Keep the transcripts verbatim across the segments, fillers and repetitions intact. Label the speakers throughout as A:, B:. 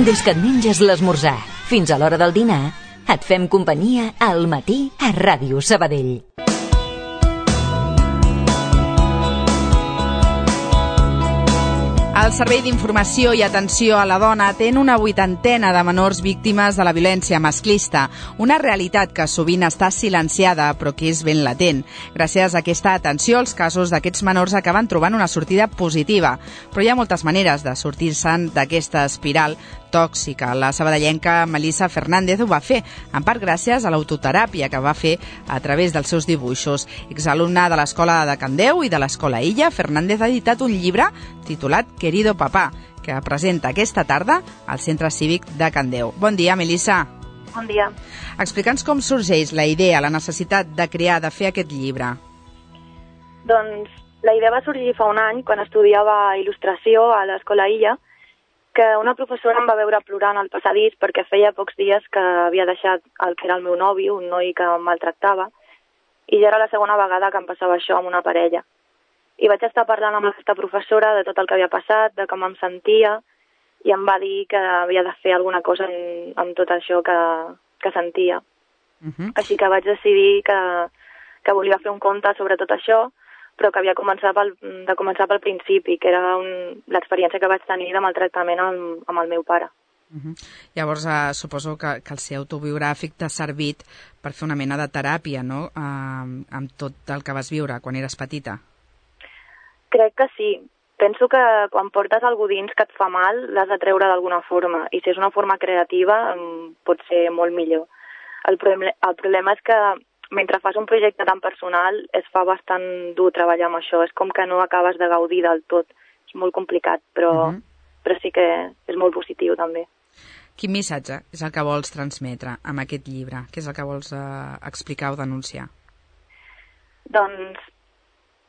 A: Des que et menges l'esmorzar fins a l'hora del dinar, et fem companyia al matí a Ràdio Sabadell.
B: El Servei d'Informació i Atenció a la Dona atén una vuitantena de menors víctimes de la violència masclista, una realitat que sovint està silenciada però que és ben latent. Gràcies a aquesta atenció, els casos d'aquests menors acaben trobant una sortida positiva, però hi ha moltes maneres de sortir-se'n d'aquesta espiral tòxica. La sabadellenca Melissa Fernández ho va fer, en part gràcies a l'autoteràpia que va fer a través dels seus dibuixos. Exalumna de l'Escola de Candeu i de l'Escola Illa, Fernández ha editat un llibre titulat Querido Papá, que presenta aquesta tarda al Centre Cívic de Candeu. Bon dia, Melissa.
C: Bon dia.
B: Explica'ns com sorgeix la idea, la necessitat de crear, de fer aquest llibre.
C: Doncs la idea va sorgir fa un any, quan estudiava il·lustració a l'Escola Illa, que una professora em va veure plorant al passadís perquè feia pocs dies que havia deixat el que era el meu nòvio, un noi que em maltractava, i ja era la segona vegada que em passava això amb una parella. I vaig estar parlant amb aquesta professora de tot el que havia passat, de com em sentia, i em va dir que havia de fer alguna cosa amb, amb tot això que, que sentia. Uh-huh. Així que vaig decidir que, que volia fer un conte sobre tot això, però que havia començat pel, de començar pel principi, que era un, l'experiència que vaig tenir de maltractament amb, amb el meu pare.
B: Uh-huh. Llavors, eh, suposo que, que el ser autobiogràfic t'ha servit per fer una mena de teràpia, no?, eh, amb tot el que vas viure quan eres petita.
C: Crec que sí. Penso que quan portes algú dins que et fa mal, l'has de treure d'alguna forma, i si és una forma creativa, pot ser molt millor. El, problem, el problema és que mentre fas un projecte tan personal, es fa bastant dur treballar amb això. És com que no acabes de gaudir del tot. És molt complicat, però, uh-huh. però sí que és molt positiu, també.
B: Quin missatge és el que vols transmetre amb aquest llibre? Què és el que vols eh, explicar o denunciar?
C: Doncs,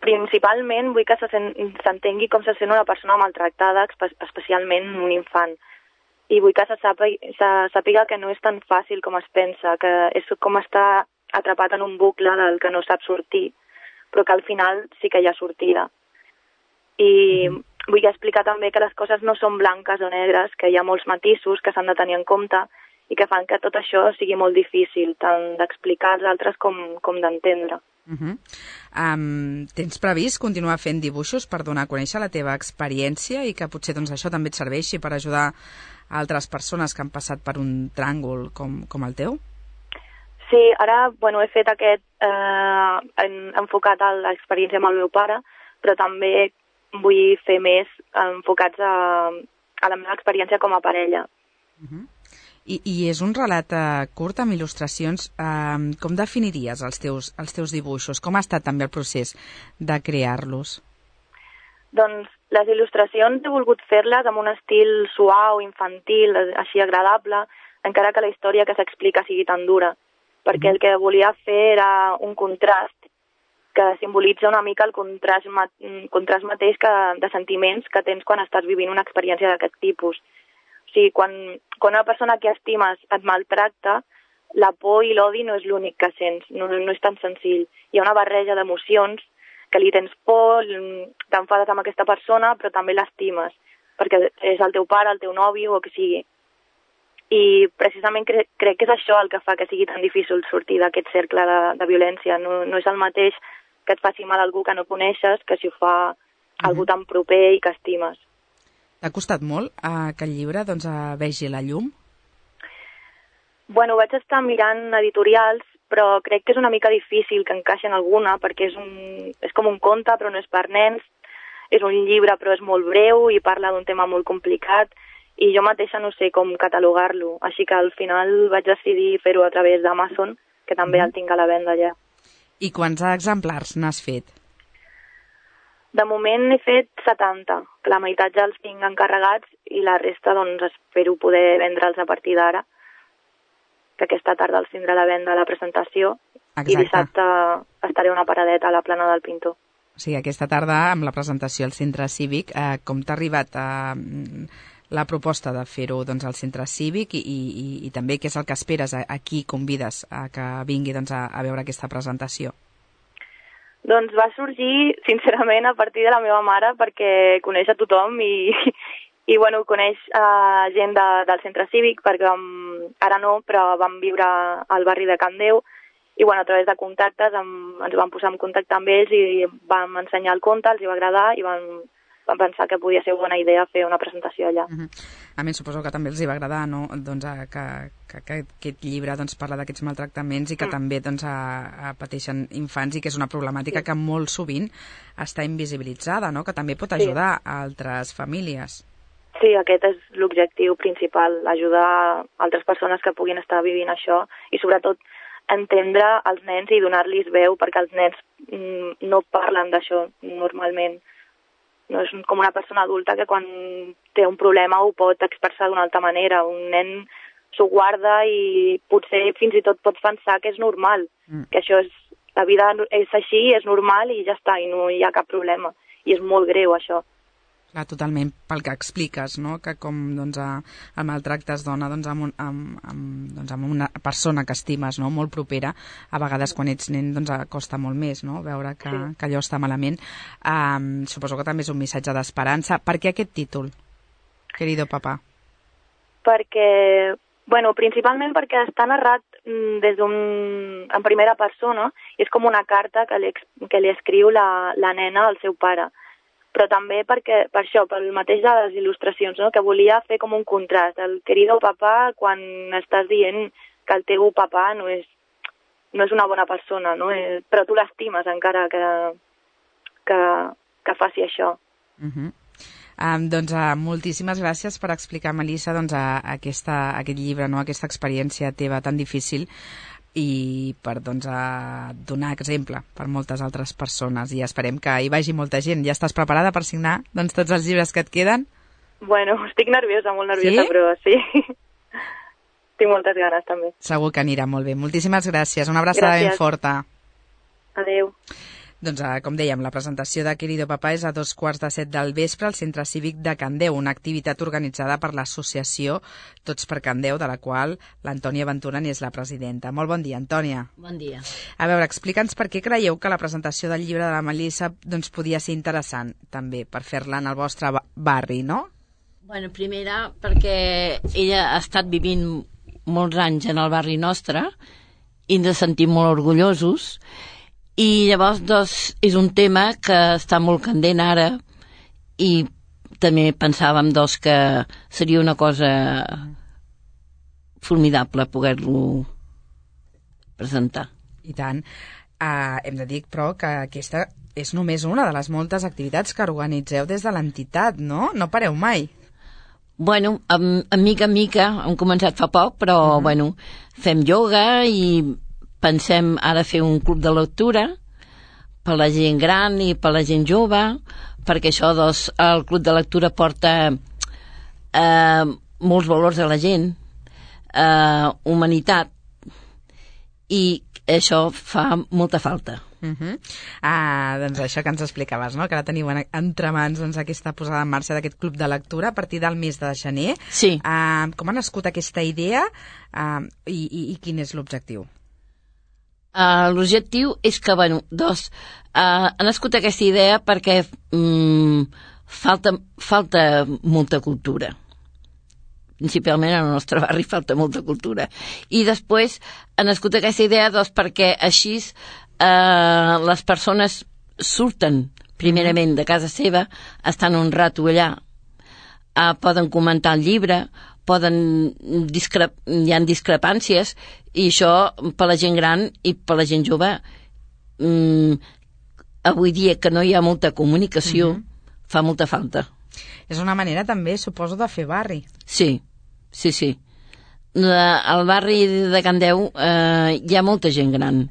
C: principalment, vull que se sent, s'entengui com se sent una persona maltractada, especialment un infant. I vull que se sàpiga, se sàpiga que no és tan fàcil com es pensa, que és com estar atrapat en un bucle del que no sap sortir, però que al final sí que hi ha sortida. I mm. vull explicar també que les coses no són blanques o negres, que hi ha molts matisos que s'han de tenir en compte i que fan que tot això sigui molt difícil, tant d'explicar als altres com, com d'entendre.
B: Uh-huh. Um, tens previst continuar fent dibuixos per donar a conèixer la teva experiència i que potser doncs, això també et serveixi per ajudar a altres persones que han passat per un tràngol com, com el teu?
C: Sí, ara bueno, he fet aquest eh, en, enfocat a l'experiència amb el meu pare, però també vull fer més enfocats a, a la meva experiència com a parella.
B: Uh-huh. I, I és un relat eh, curt amb il·lustracions. Eh, com definiries els teus, els teus dibuixos? Com ha estat també el procés de crear-los?
C: Doncs les il·lustracions he volgut fer-les amb un estil suau, infantil, així agradable, encara que la història que s'explica sigui tan dura. Perquè el que volia fer era un contrast que simbolitza una mica el contrast, ma- contrast mateix que, de sentiments que tens quan estàs vivint una experiència d'aquest tipus. O sigui, quan, quan una persona que estimes et maltracta, la por i l'odi no és l'únic que sents, no, no és tan senzill. Hi ha una barreja d'emocions que li tens por, t'enfades amb aquesta persona, però també l'estimes, perquè és el teu pare, el teu nòvio o que sigui. I precisament cre crec que és això el que fa que sigui tan difícil sortir d'aquest cercle de, de violència. No, no és el mateix que et faci mal algú que no coneixes que si ho fa uh-huh. algú tan proper i que estimes.
B: T'ha costat molt eh, que el llibre doncs, eh, vegi la llum?
C: Bueno, vaig estar mirant editorials, però crec que és una mica difícil que encaixi en alguna, perquè és, un, és com un conte, però no és per nens, és un llibre, però és molt breu i parla d'un tema molt complicat, i jo mateixa no sé com catalogar-lo, així que al final vaig decidir fer-ho a través d'Amazon, que també mm. el tinc a la venda allà.
B: I quants exemplars n'has fet?
C: De moment he fet setanta, que la meitat ja els tinc encarregats i la resta doncs espero poder vendre'ls a partir d'ara, que aquesta tarda els tindrà a la venda a la presentació. Exacte. I dissabte estaré una paradeta a la plana del Pintor.
B: O sigui, aquesta tarda amb la presentació al Centre Cívic, eh, com t'ha arribat a... Eh, la proposta de fer-ho doncs, al Centre Cívic i, i, i també què és el que esperes, a, a qui convides a que vingui doncs, a, a veure aquesta presentació?
C: Doncs va sorgir, sincerament, a partir de la meva mare, perquè coneix a tothom i, I, bueno, coneix uh, gent de, del centre cívic, perquè vam, ara no, però vam viure al barri de Can Déu, i, bueno, a través de contactes em, ens vam posar en contacte amb ells i vam ensenyar el conte, els hi va agradar i vam, vam pensar que podia ser bona idea fer una presentació allà.
B: Uh-huh. A mi suposo que també els hi va agradar, no? Doncs, a, que, que, que aquest llibre doncs, parla d'aquests maltractaments i que mm. també doncs, a, a pateixen infants i que és una problemàtica sí. que molt sovint està invisibilitzada, no? Que també pot ajudar sí. a altres famílies.
C: Sí, aquest és l'objectiu principal, ajudar altres persones que puguin estar vivint això i sobretot entendre els nens i donar-los veu, perquè els nens mm, no parlen d'això normalment. No és com una persona adulta que quan té un problema ho pot expressar d'una altra manera. Un nen s'ho guarda i potser fins i tot pot pensar que és normal, mm. que això és, la vida és així, és normal i ja està, i no hi ha cap problema. I és molt greu, això.
B: Clar, totalment, pel que expliques, no? Que com doncs, a, el maltracte es dona doncs, amb, un, amb, amb, doncs, amb una persona que estimes, no? Molt propera, a vegades quan ets nen doncs, costa molt més, no? Veure que, sí. que allò està malament. Um, suposo que també és un missatge d'esperança. Per què aquest títol, Querido Papá?
C: Perquè, bueno, principalment perquè està narrat des d'un, en primera persona, i és com una carta que li, que li escriu la, la nena al seu pare. Però també perquè, per això, pel mateix de les il·lustracions, no? Que volia fer com un contrast. El querido papà, quan estàs dient que el teu papà no és, no és una bona persona, no? Eh, però tu l'estimes encara que, que, que faci això.
B: Uh-huh. Um, doncs uh, moltíssimes gràcies per explicar, Melissa, doncs, a, a aquesta, a aquest llibre, no? Aquesta experiència teva tan difícil, i per doncs, a donar exemple per moltes altres persones, i esperem que hi vagi molta gent. Ja estàs preparada per signar doncs, tots els llibres que et queden?
C: Bueno, estic nerviosa, molt nerviosa, sí? Però sí. Tinc moltes ganes, també.
B: Segur que anirà molt bé. Moltíssimes gràcies. Una abraçada ben forta.
C: Adéu.
B: Doncs, com dèiem, la presentació de Querido Papá és a dos quarts de set del vespre al Centre Cívic de Can Déu, una activitat organitzada per l'associació Tots per Can Déu, de la qual l'Antònia Ventura n'és la presidenta. Molt bon dia, Antònia.
D: Bon dia.
B: A veure, explica'ns per què creieu que la presentació del llibre de la Melissa doncs, podia ser interessant, també, per fer-la en el vostre barri, no?
D: Bueno, primera, perquè ella ha estat vivint molts anys en el barri nostre i ens sentim molt orgullosos. I llavors, doncs, és un tema que està molt candent ara i també pensàvem, doncs, que seria una cosa formidable poder-lo presentar.
B: I tant. Uh, hem de dir, però, que aquesta és només una de les moltes activitats que organitzeu des de l'entitat, no? No pareu mai.
D: Bueno, a, a mica en mica, hem començat fa poc, però, uh-huh. bueno, fem ioga i pensem ara fer un club de lectura per la gent gran i per la gent jove, perquè això, doncs, el club de lectura porta eh, molts valors a la gent, eh, humanitat, i això fa molta falta.
B: Uh-huh. Ah, doncs això que ens explicaves, no? Que ara teniu entre mans doncs, aquesta posada en marxa d'aquest club de lectura a partir del mes de gener.
D: Sí.
B: Uh, com ha nascut aquesta idea uh, i, i, i quin és l'objectiu?
D: Uh, l'objectiu és que, bueno, doncs, uh, ha nascut aquesta idea perquè um, falta, falta molta cultura. Principalment en el nostre barri falta molta cultura. I després ha nascut aquesta idea, doncs, perquè així uh, les persones surten primerament de casa seva, estan un rato allà, uh, poden comentar el llibre, poden discrep... hi ha discrepàncies, i això per la gent gran i per la gent jove, mm, avui dia que no hi ha molta comunicació, uh-huh. fa molta falta.
B: És una manera també, suposo, de fer barri.
D: Sí, sí, sí. Al barri de Can Déu eh, hi ha molta gent gran.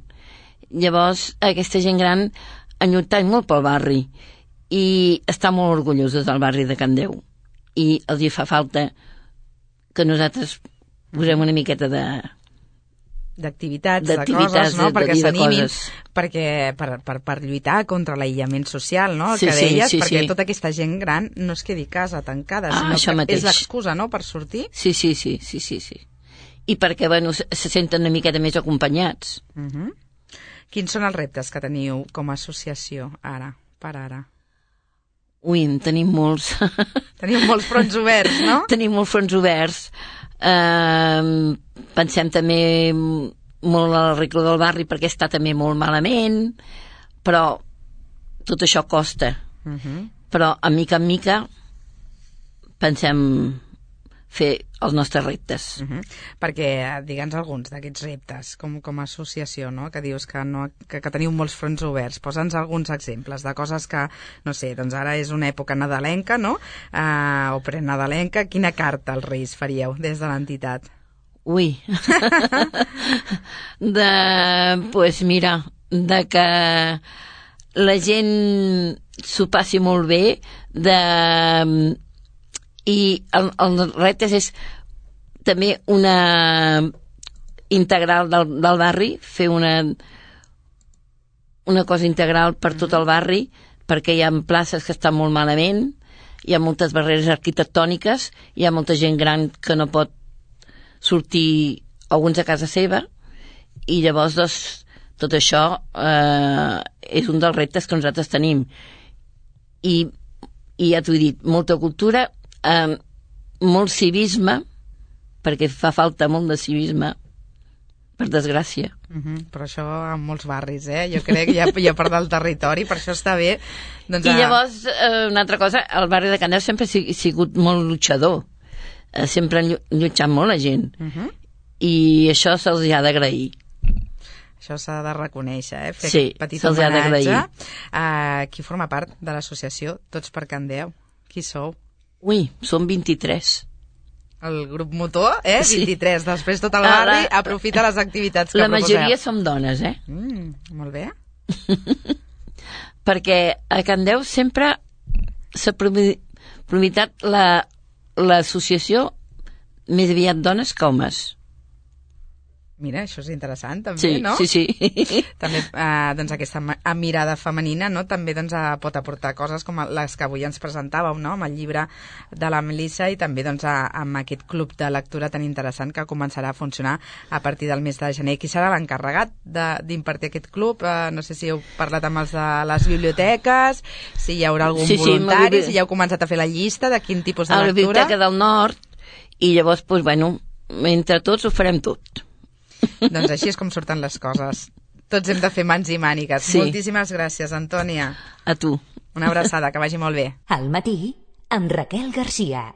D: Llavors, aquesta gent gran ha lluitat molt pel barri i està molt orgullosa del barri de Can Déu. I els hi fa falta que nosaltres posem una miqueta de...
B: d'activitats, de coses, no? Perquè s'animin, perquè per, per, per lluitar contra l'aïllament social, no?
D: Sí,
B: que deies,
D: sí, sí,
B: perquè
D: sí.
B: tota aquesta gent gran no es quedi a casa tancada,
D: ah,
B: sinó que
D: mateix.
B: És l'excusa, no?, per sortir.
D: Sí, sí, sí, sí, sí, sí. I perquè, bueno, se, se senten una miqueta més acompanyats.
B: Uh-huh. Quins són els reptes que teniu com a associació ara, per ara?
D: Ui, en tenim molts.
B: Tenim molts fronts oberts, no?
D: Tenim molts fronts oberts. Uh, pensem també molt a l'arreglo del barri perquè està també molt malament, però tot això costa. Uh-huh. Però a mica en mica pensem fer els nostres reptes.
B: Uh-huh. Perquè, digue'ns alguns d'aquests reptes, com, com a associació, no? Que dius que, no, que, que teniu molts fronts oberts. Posa'ns alguns exemples de coses que, no sé, doncs ara és una època nadalenca, no? Uh, o prenadalenca. Quina carta als Reis faríeu des de l'entitat?
D: Ui. de, pues mira, de que la gent s'ho passi molt bé, de... i el, el repte és també una integral del, del barri, fer una una cosa integral per tot el barri, perquè hi ha places que estan molt malament, hi ha moltes barreres arquitectòniques, hi ha molta gent gran que no pot sortir, alguns a casa seva, i llavors doncs, tot això eh, és un dels reptes que nosaltres tenim. I, i ja t'ho he dit, molta cultura, Uh, molt civisme, perquè fa falta molt de civisme, per desgràcia.
B: Uh-huh. Però això en molts barris, eh? Jo crec que hi ha, hi ha part del territori, per això està bé. Doncs,
D: I llavors, uh, una altra cosa, el barri de Candeu sempre ha sigut molt luchador, uh, sempre han lluitat molt la gent, uh-huh. I això se'ls ha d'agrair.
B: Això s'ha de reconèixer, eh? Fer
D: sí,
B: petit
D: se'ls ha d'agrair.
B: Uh, qui forma part de l'associació Tots per Candeu? Qui sou?
D: Ui, som vint-i-tres.
B: El grup motor, eh? Sí. vint-i-tres. Després tot el barri la... aprofita les activitats que
D: la
B: proposeu.
D: La majoria som dones, eh?
B: Mm, molt bé.
D: Perquè a Candeu sempre s'ha promitat l'associació més aviat dones que homes.
B: Mira, això és interessant, també,
D: sí,
B: no?
D: Sí, sí.
B: També, eh, doncs, aquesta mirada femenina, no?, també doncs, pot aportar coses com les que avui ens presentàveu, no?, amb el llibre de la Melissa i també doncs, a, amb aquest club de lectura tan interessant que començarà a funcionar a partir del mes de gener. Qui serà l'encarregat d'impartir aquest club? Eh, no sé si heu parlat amb els de les biblioteques, si hi haurà algun
D: sí, sí,
B: voluntari, si ja heu començat a fer la llista de quin tipus de
D: a
B: lectura.
D: A la Biblioteca del Nord, i llavors, doncs, bueno, entre tots ho farem tot.
B: Doncs així és com surten les coses. Tots hem de fer mans i mànigues.
D: Sí.
B: Moltíssimes gràcies, Antònia.
D: A tu.
B: Una abraçada, que vagi molt bé.
A: Al matí, amb Raquel Garcia.